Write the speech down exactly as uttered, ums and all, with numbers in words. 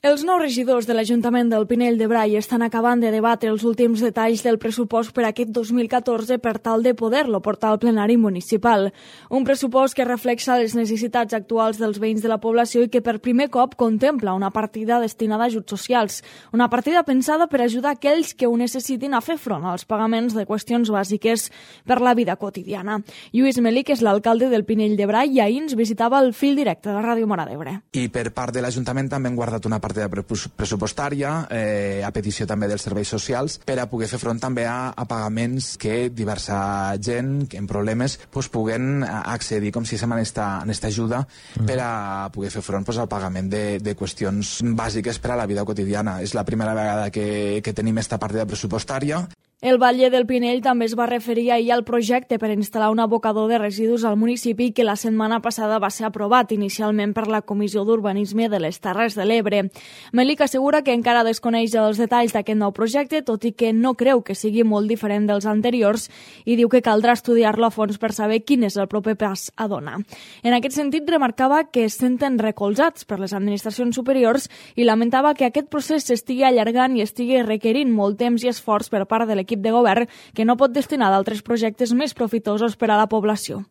Els nous regidors de l'Ajuntament del Pinell de Brai estan acabant de debatre els últims detalls del pressupost per aquest dos mil catorze per tal de poder-lo portar al plenari municipal. Un pressupost que reflexa les necessitats actuals dels veïns de la població i que per primer cop contempla una partida destinada a ajuts socials. Una partida pensada per ajudar aquells que ho necessitin a fer front als pagaments de qüestions bàsiques per la vida quotidiana. Lluís Melí, que és l'alcalde del Pinell de Brai, i ahir ens visitava el fil directe de Ràdio Móra d'Ebre. I per part de l'Ajuntament també hem guardat una partida pressupostària, eh, a petició també dels serveis socials, per a poder fer front també a, a pagaments que diversa gent que en problemes pues, puguen accedir com si se en esta, en esta ajuda mm. per a poder fer front pues, al pagament de, de qüestions bàsiques per a la vida quotidiana. És la primera vegada que, que tenim esta partida pressupostària. El batlle del Pinell també es va referir ahir al projecte per instal·lar un abocador de residus al municipi que la setmana passada va ser aprovat inicialment per la Comissió d'Urbanisme de les Terres de l'Ebre. Melic assegura que encara desconeix els detalls d'aquest nou projecte, tot i que no creu que sigui molt diferent dels anteriors, i diu que caldrà estudiar-lo a fons per saber quin és el proper pas a donar. En aquest sentit, remarcava que es senten recolzats per les administracions superiors i lamentava que aquest procés s'estigui allargant i estigui requerint molt temps i esforç per part de l'equip de govern que no pot destinar d'altres projectes més profitosos per a la població.